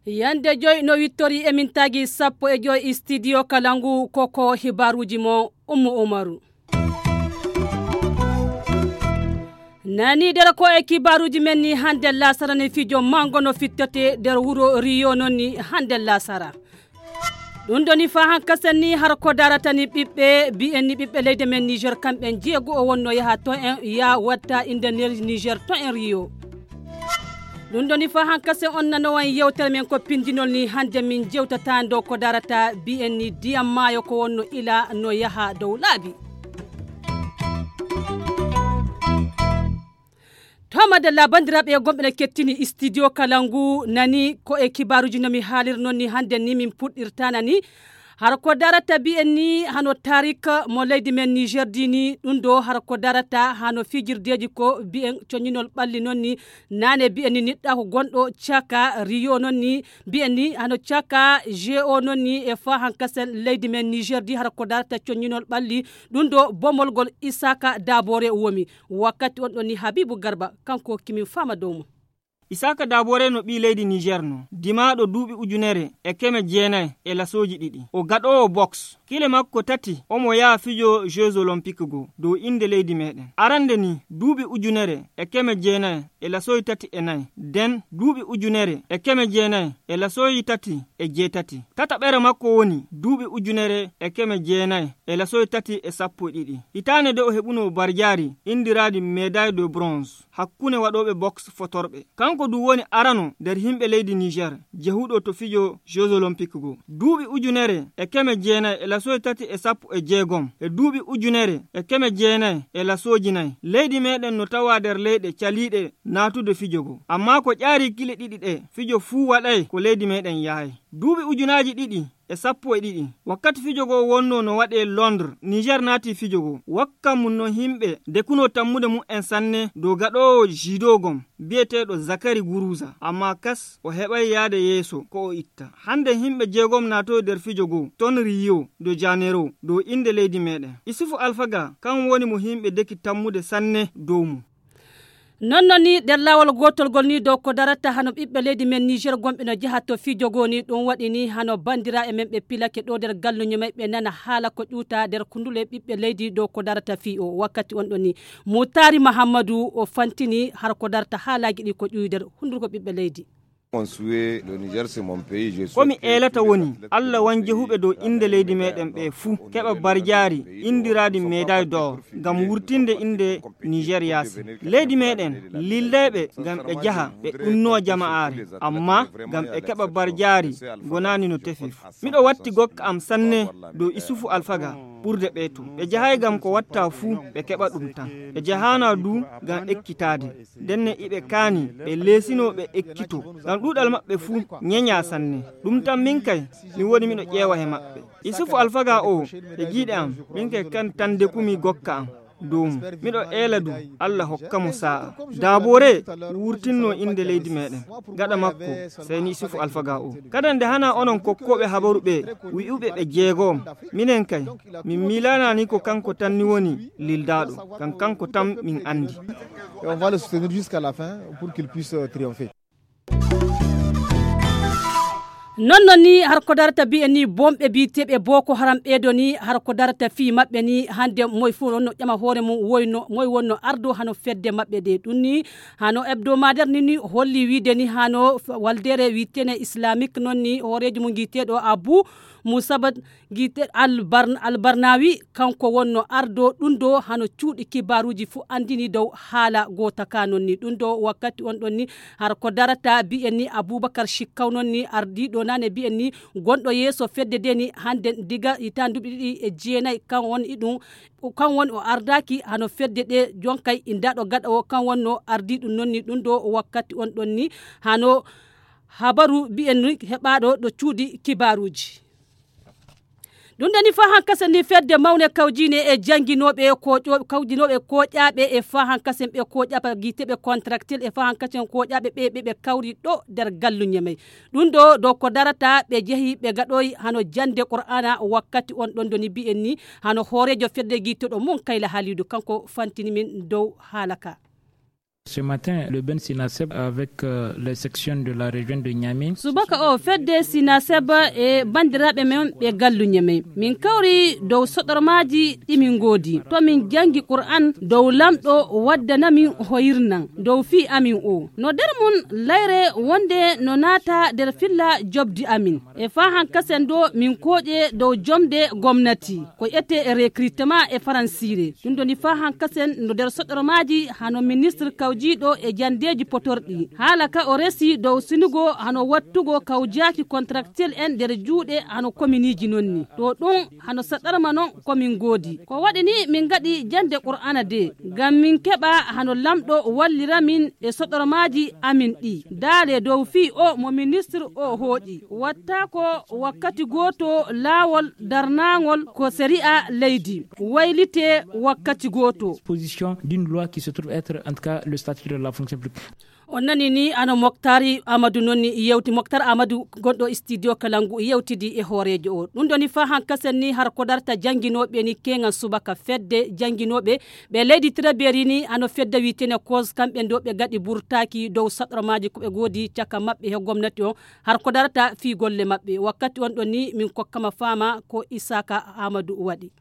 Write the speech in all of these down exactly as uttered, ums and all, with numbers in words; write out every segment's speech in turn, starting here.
Yande joy no wittori e min tagi sappo e joy studio Kalangu, koko hibaruji mo Ummu Umaru. Nani nder ko e kibaruji men ni hande lasara ni fijo mango no fittote nder wuro Rio non ni hande lasara. Ɗum ɗoni fa hankasen ni har ko darata ni ɓiɓɓe, bi'en ni ɓiɓɓe leydi men Niger kamɓen jeego o wonno yaha to en ya watta inde nder Niger to en Rio. Ɗum ɗoni fa hankasen on nanowan yewtere men ko pindinol ni hande min jewtata ndo ko darata bi'en ni diyam maayo ko wonno ila no yaha dow laabi. To madalla bandiraɓe gonɓe no kettini studio Kalangu nani ko e kibaruji no mi haalir non ni hande ni min puɗɗirta nani. Har ko darata bi'en ni hano tarik mo leydi men Niger dini ɗum ɗo har ko darata hano fijirdeji ko bi'en coñinol ɓalli non ni nane bi'en ni niɗɗa ko gonɗo caka Rio non ni bi'en ni hano caka G O non ni e fa hankasen leydi men Niger di har ko darata coñinol ɓalli ɗum ɗo bomolgol Isaka Dabore womi. Wakkati on ɗon ni Habibu Garba kanko kimin fama dow mum. Isaka Dabore no ɓii leydi Niger no dimaaɗo duuɓi ujunere e keme jeenayi e lasooji ɗiɗi. O gaɗoowo boks. Kile makko tati omo yaha fijo Jeux Olympiques go dow innde leydi meɗen. Arande ni duuɓi ujunere e keme jeenayi e lasooji tati e nayi. Den duuɓi ujunere e keme jeenayi e lasooji tati e jeetati. Tataɓere makko woni duuɓi ujunere e keme jeenayi e lasooji tati e sappo e ɗiɗi. Hitaande de o heɓuno barjaari indiraaɗi médaille de bronze hakkunde waɗooɓe boks fotorɓe. Kanko du woni arano nder himɓe leydi Niger jehuɗo to fijo Jeux Olympiques go. Duuɓi ujunere e keme jeenayi e lasooji tati e sappo e jeegom e duuɓi ujunere e keme jeenayi e lasooji nayi. Leydi meɗen no tawa nder leyɗe caliiɗe naatude fijo go. Amma ko ƴaari kile ɗiɗi ɗe fijo fuu waɗay ko leydi meɗen yahay. Duuɓi ujunaaji ɗiɗi e sappo e ɗiɗi, wakkati fijo go wonno no waɗe Londres, Niger naati fijo go. Wakka mum no himɓe dekuno tammude mum en sanne dow gaɗoowo judo gom bi'eteeɗo Zakari Guruza. Amma kas o heɓay yaade yeeso ko o itta. Hande himɓe jeegom naatoyi nder fijo go ton Rio de Janeiro dow innde leydi meɗen. Isufu Alfaga kan woni mo himɓe deki tammude sanne dow mum. Non non ni nder laawol gootol ngol ni dow ko darata hano ɓiɓɓe leydi men Niger gonɓe no jaha to fijo goo ni ɗum waɗi ni hano bandira e men ɓe pilake ɗo nder galluño may ɓe nana haala ko ƴuuta nder kundule ɓiɓɓe leydi dow ko darata fii o wakkati on ɗon ni Mutari Mahammadu o fantini har ko darata haalaaji ɗi ko ƴuwi nder hundurgo ɓiɓɓe leydi. Ko mi eelata woni Allah wan jehuɓe dow innde leydi meɗen ɓe fuu keɓa barjaari indiraaɗi médaille d'or ngam wurtinde innde Niger yaasi. Leydi meɗen lildayɓe ngam ɓe jaha ɓe ɗunnoo jama'aare amma ngam ɓe keɓa barjaari gonaani no tefi fuu. Miɗo watti gokka am sanne dow Isufu Alfaga ɓurde ɓe to ɓe jahay ngam ko watta fuu ɓe keɓa ɗum tan. Ɓe jahaana du ngam ekkitaade. Ndenne iɓe kaani ɓe leesinoo ɓe ekkitoo ngam ɗuuɗal maɓɓe fuu ñeñaa sanne. Ɗum tan min kay mi woni miɗo ƴeewa he maɓɓe. Isufu Alfaga o e giiɗe am min kay kan tan ndekumi gokka am dow mum. Miɗo eela du Allah hokka mo saa'a. Daaboore wurtinnoo innde leydi meɗen. Gaɗa makko seyni Isufu Alfaga o. Kadi nde hana onon kokkooɓe habaru ɓe wi'uɓe ɓe jeegoom. Minen kay min miilaanaani ko kanko tan ni woni lildaaɗo. Kan kanko tan min anndi. Et on va le soutenir jusqu'à la fin pour qu'il puisse triompher. Non non ni har ko darata bi'e ni bomɓe bi'eteeɓe boko haram ɓeedo ni har ko darata fii maɓɓe ni hande moy fuu wonno ƴama hoore mum woyno moy wonno ardo hano fedde maɓɓe ɗe ɗum ni hano hebdomadaire ni ni holli wiide ni hano waldere wiitene islamique non ni hooreejo mum giiteeɗo abu musabat giite albarnawi kanko wonno ardo ɗum ɗo hano cuuɗi kibaruuji fuu anndini dow haala goota ka non ni ɗum ɗo wakkati on ɗon ni har ko darata bi'en ni abubakar shikkaw non ni ardiiɗo nane bi'en ni gonɗo yeeso fedde de ni hande diga hitaande duuɓi ɗiɗi e jeenayi kan won iɗum kan woni o ardaaki hano fedde ɗe jonkay indaɗo gaɗa o kan wonno ardiiɗum non ni ɗum ɗo wakkati on ɗon ni hano habaru bi'en ni heɓaaɗo ɗo cuuɗi kibaruuji. Ɗum ɗoni faa hankasen ni fedde mawne kawjiine e jannginooɓe kawjinooɓe kooƴaaɓe e faa hankasen ɓe kooƴaaɓe giiteɓe contractuel e faa hankasen kooƴaaɓe ɓe ɓe ɓe kawri ɗo nder galluñe may. Ɗum ɗo dow ko darata ɓe jehi ɓe gaɗoyi hano jannde qur'aana wakkati on ɗon ɗoni mbi'en ni hano hooreejo fedde giittoɗo mum kayla haaliidu kanko fantini min dow haala ka. Ce matin, le ben sinaseb avec euh, les sections de la région de Niamey. Subaka o fedde sinaseb e banndiraaɓe men ɓe galluñe men min kawri dow soɗormaaji ɗi min ngoodi to min janngi qur'an dow lamɗo waddana min hoyirnan dow fii amin o no nder mum layre wonde no naata nder filla jobdi amin e faa hankasen ɗo min kooƴe dow jomde gomnati ko ete recrutement e faransiire ɗum ɗoni faa hankasen no nder soɗormaaji hano ministre kawjiiɗo e janndeeji potorɗi haala ka o resi dow sinugo hano wattugo kawjaaki contractuel en nder juuɗe hano kominiiji non ni ɗo ɗum hano saɗarma non ko min ngoodi ko waɗi ni min ngaɗi jannde qur'aana de ngam min keɓa hano lamɗo wallira min e soɗormaaji amin ɗi daale dow fii o mo ministre o hooƴi watta ko wakkati gooto laawol darnaangol ko sari'a leydi waylite wakkati gooto. Position d'une loi qui se trouve être en tout cas le statut de la fonction publique. On nani ni ano moktar amadou nonni yewti moktar amadou gonɗo studio kala ngu yewtidi e hooreejo o ɗum ɗoni faa hankasen ni har ko darta jannginooɓe ni keŋan subaka fedde jannginooɓe ɓe leydi traberi ni ano fedde wiitene cause kamɓe ndo ɓe gaɗi burtaaki dow saɗromaaji ko ɓe ngoodi caka maɓɓe he gomnati on har ko darata fii golle maɓɓe wakkati on ɗon ni min kokkama faama ko isaka amadou waɗi.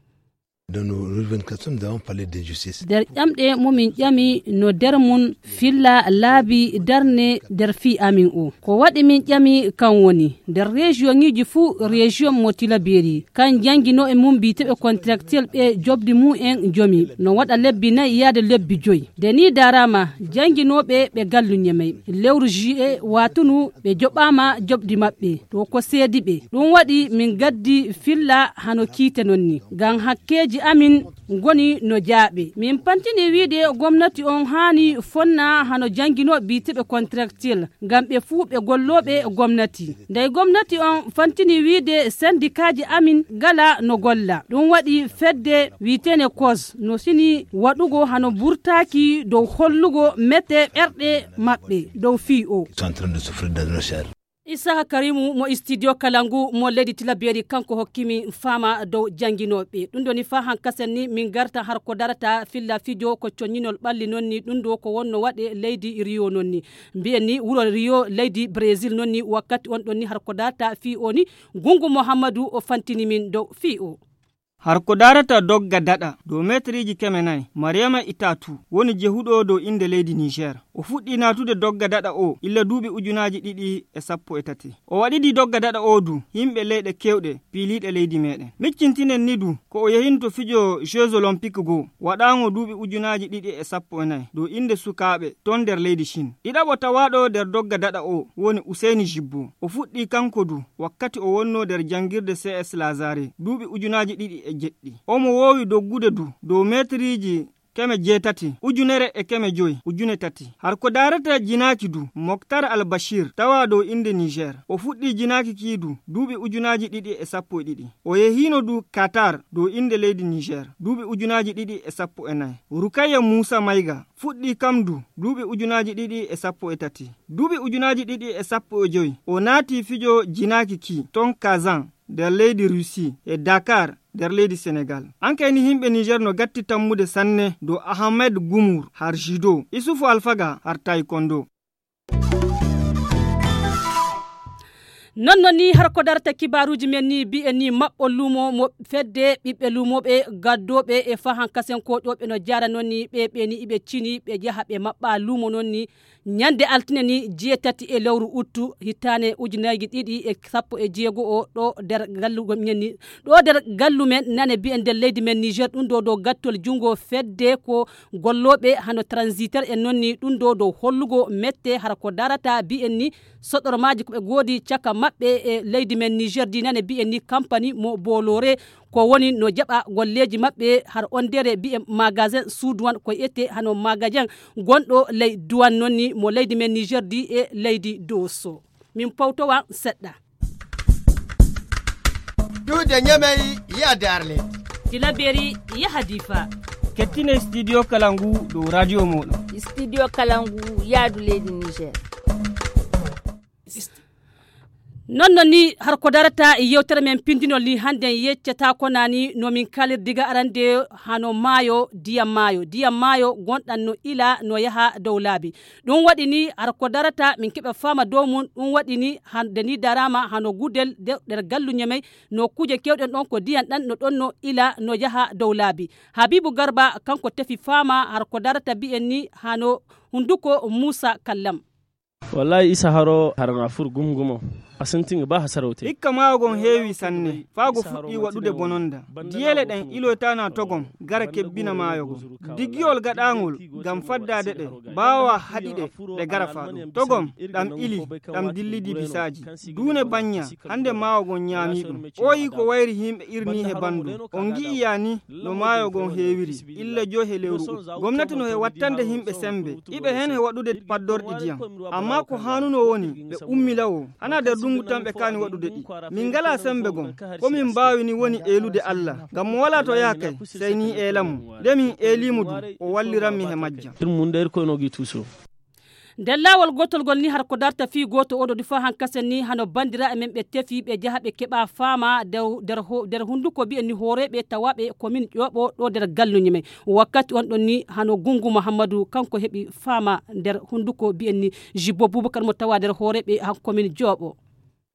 Dans nos revendications, nous avons parlé d'injustice. Nder ƴamɗe mo min ƴami no nder mum filla laabi darne nder fii amin o ko waɗi min ƴami kan woni nder région ŋiji fuu région mo tilaberi kan janngino e mum mbiteɓe contractuel ɓe jobdi mum en jomi no waɗa lebbi nayi yaade lebbi joyi nde ni darama jannginooɓe ɓe gallu ñemey lewru juillet watunu ɓe joɓaama joɓdi maɓɓe to ko seedi ɓe ɗum waɗi min gaddi filla hano kiite non ni ngam hakkeeji amin ngoni no jaaɓe min pantini wiide gomnati on haani fonna hano jannginoo biiteɓe contractuel ngam ɓe fuu ɓe gollooɓe gomnati ndey gomnati on fantini wiide sendikaaji amin ngala no golla ɗum waɗi fedde wiitene kos no sini waɗugo hano burtaaki dow hollugo mete ɓerɗe maɓɓe dow fii o. Sont en train de souffrir dans nos chairs. Isaka karimu mo studio kala ngu mo leydi tilaberi kanko hokkimi faama dow jannginooɓe ɗum ɗoni faa hankasen ni min garta har ko darata filla fijo ko coññinol ɓalli non ni ɗum ɗo ko wonno waɗe leydi riyo non ni mbiyen ni wuro riyo leydi brésil non ni wakkati on ɗon ni har ko darata fii o ni gungu mouhammadou o fantini min dow fii o. Har ko darata dogga daɗa dow meetriiji keme nayi mariyama itatu woni jehuɗo dow innde leydi niger o fuɗɗi naatude dogga daɗa o illa duuɓi ujunaaji ɗiɗi e sappo e tati o waɗidi dogga daɗa o du yimɓe leyɗe kewɗe piiliiɗe leydi meɗen miccintinen ni du ko o yehinto fijo jeux olympique goo waɗaango duuɓi ujunaaji ɗiɗi e sappo e nayi dow innde sukaaɓe ton nder leydi chine ɗiɗaɓo tawaaɗo nder dogga daɗa o woni useyni jibbo o fuɗɗi kanko du wakkati o wonno nder janngirde cs lazare duuɓi ujunaaji ɗiɗi e jeɗɗi omo woowi doggude du dow meetriiji keme jeetati ujunere e keme joyi ujune tati har ko daarata jinaaki du moktar al bashir tawa dow innde niger o fuɗɗi jinaaki kii du duuɓi ujunaaji ɗiɗi e sappo e ɗiɗi o yehiino du qatar dow innde leydi niger duuɓi ujunaaji ɗiɗi e sappo e nayi rukaya muusa mayga fuɗɗi kam du duuɓi ujunaaji ɗiɗi e sappo e tati duuɓi ujunaaji ɗiɗi e sappo e joyi o naati fijo jinaaki kii ton kazan nder leydi russie e dakar nder leydi senegal ankayni yimɓe niger no gatti tammude sanne dow ahmed gumur har judo isufu alfaga har taekwondo non non ni har ko darata kibaruuji men ni mbi'en ni maɓɓol luumo mo fedde ɓiɓɓe luumooɓe gaddooɓe e fahan kasen koƴooɓe no jaara non ni ɓe ɓe ni iɓe cini ɓe jaha ɓe maɓɓa luumo non ni ñande altine ni jeetati e lewru uttu hittaane ujunaaji ɗiɗi e sappo e jeego o ɗo nder gallugo men ni ɗo nder gallu men nane mbi'en nder leydi men niger ɗum ɗo dow gattol junngo fedde ko gollooɓe hano transitaire en non ni ɗum ɗo dow hollugo mette hara ko darata mbi'en ni soɗormaaji ko ɓe ngoodi caka maɓɓe e leydi men niger di nane mbi'en ni kampani mo bolore ko woni no jaɓa golleeji maɓɓe har ondere mbi'en magasin suuduwan ko ete hano magasin gonɗo ley duwan non ni mo leydi men niger di e leydi doso min powtowa seɗɗa. Duude Ñamey yaade Arlet. Tilaberi yaha Difa. Kettine studio kala ngu dow radio mooɗon. Studio kala ngu yaadu leydi Niger. Non non ni har ko darata e yewtere men pindinol ni hannden yeccata ko nani no min kalir diga arande hano maayo, diyam maayo, diyam maayo gonɗan no ila no yaha dow laabi. Ɗum waɗi ni har ko darata min keɓa faama dow mum, ɗum waɗi ni hande ni darama hano gudel de-, nder gallu Ñamey no kuje kewɗen ɗon ko diyan ɗan no ɗon no ila no yaha dow laabi. Habibu Garba kanko tefi faama har ko darata bi'en ni hano hunduko Musa Kallam. Wallahi isa haro harana fur gumgumo. A sintingi ba hasarautai. Ikka maayo gon heewi sanne, faa go fuɗɗi waɗude bononda. Diyeele ɗen iloytaana togom, gara kebbina maayo gon. Diggiyol gaɗaangol ngam faddaade ɗe, baawa haɗi ɗe, ɗe gara faa ɗum. Togom, ɗam ili, ɗam dillidi bisaaji. Duune bañña, hande maayo gon ñaami ɗum. Ooyi ko wayri himɓe irni he bandu. On ngi'i yaani no maayo gon heewiri, illa joy he lewru ut. Gomnati no he wattande himɓe sembe, iɓe hen he waɗude paddorɗi diyam. Amma ko haanuno woni, ɓe ummi lawo. Hana nder ndungu tan ɓe kaani waɗude ɗi. Min ngalaa semmbe gom. Ko min mbaawi ni woni eelude Alla. Ngam mo walaa to yaha kay, sey ni eela mo. Nde min eelii mo du, o walliran mi he majja. Ɗum mun nder koy no gi tuso. Nder laawol gootol ngol ni har ko darta fii gooto oɗo du faa hankasen ni hano banndiraaɓe men ɓe tefi ɓe jaha ɓe keɓa faama nder, nder ho-, nder hunnduko mbi'en ni hooreeɓe tawaaɓe komin Ƴooɓo ɗo nder galluñi men. Wakkati on ɗon ni hano Gungu Muhammadu kanko heɓi faama nder hunnduko mbi'en ni Jibbo Bubakar mo tawa nder hooreeɓe han komin Ƴooɓo.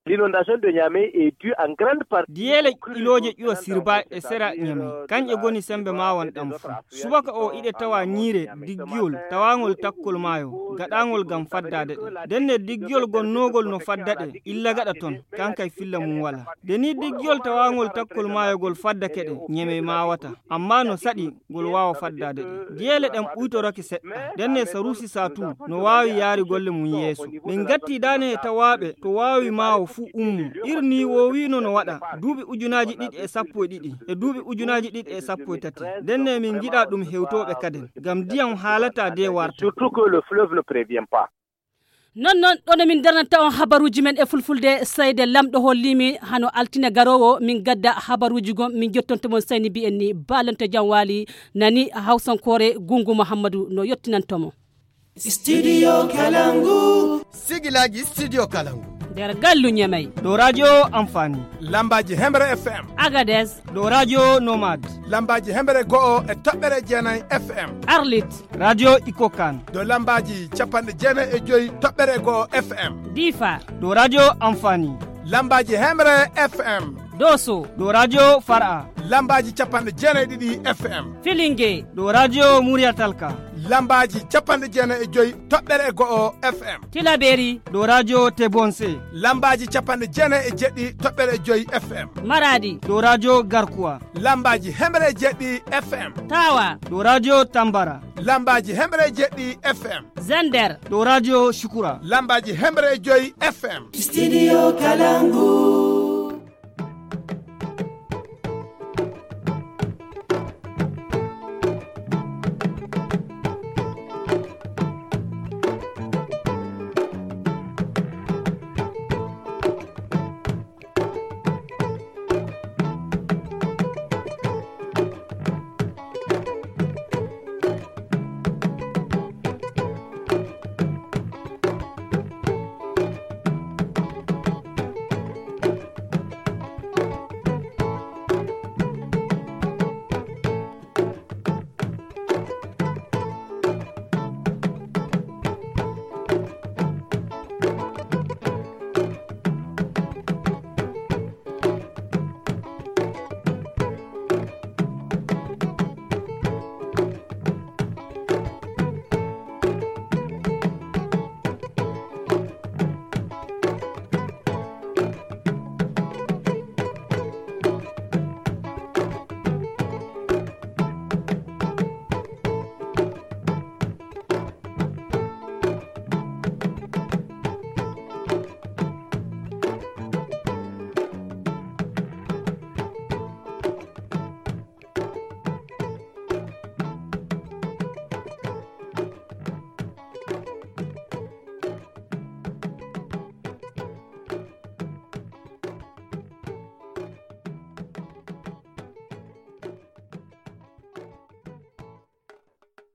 L'inondation de Niamey est due en grande partie. Diyeele ilooje ƴuwa sirba e sera Niamey, kañƴe goni semmbe maawon ɗam fuu. Subaka o iɗe tawa ñiire diggiyol tawaangol takkol maayo, gaɗaangol ngam faddaade ɗe. Ndenne diggiyol gonnoogol no fadda ɗe, illa gaɗa ton, kankay filla mum walaa. Nde ni diggiyol tawaangol takkol maayogol faddake ɗe, Niamey maawata. Amma no saɗi ngol waawa faddaade ɗe. Diyeele ɗen ɓuytorake seɗɗa. Ndenne Saruusi Saatu no waawi yaari golle mum yeeso. Min ngatti daane e tawaaɓe to waawi maawo fuu ummo. Irni woowiino no waɗa duuɓi ujunaaji ɗiɗi e sappo e ɗiɗi e duuɓi ujunaaji ɗiɗi e sappo e tati. Ndenne min ngiɗa ɗum hewtooɓe kaden. Ngam ndiyam haalataa de warta. Surtout que le fleuve ne prévient pas. Non non ɗo no min darnanta on habaruuji men e fulfulde, seyde Lamɗo holli mi hano altine garoowo min gadda habaruuji gom min jottonto mon sayni mbi'en ni baalanto jam waali nani hawsankoore Gungu Muhammadu no yottinanto mo. Studio Kalangu. Sigilaaji Studio Kalangu. Nder gallu Ñamey. Ɗo radio Amfani. Lambaaji Hemre F M. Agades. Ɗo radio Nomad. Lambaaji Hemre go'o e toɓɓere jeenayi F M. Arlit. Radio Ikokan. Ɗo lambaaji capanɗe jeenayi e joyi toɓɓere go'o F M. Difa. Ɗo radio Amfani. Lambaaji Hemre F M. Doso. Ɗo radio Far'a. Lambaaji capanɗe jeenayi ɗiɗi F M. Filinge. Ɗo radio Muriyatalka. Lambaaji capanɗe jeenayi e joyi toɓɓere e go'o F M. Tilaberi. Ɗo radio Tebonse. Lambaaji capanɗe jeenayi e jeɗɗi toɓɓere e joyi F M. Maradi. Ɗo radio Garkuwa. Lambaaji hemre e jeɗɗi F M. Tawa. Ɗo radio Tambara. Lambaaji hemre e jeɗɗi F M. Zender. Ɗo radio Shukura. Lambaaji hemre e joyi F M. Studio Kalangu.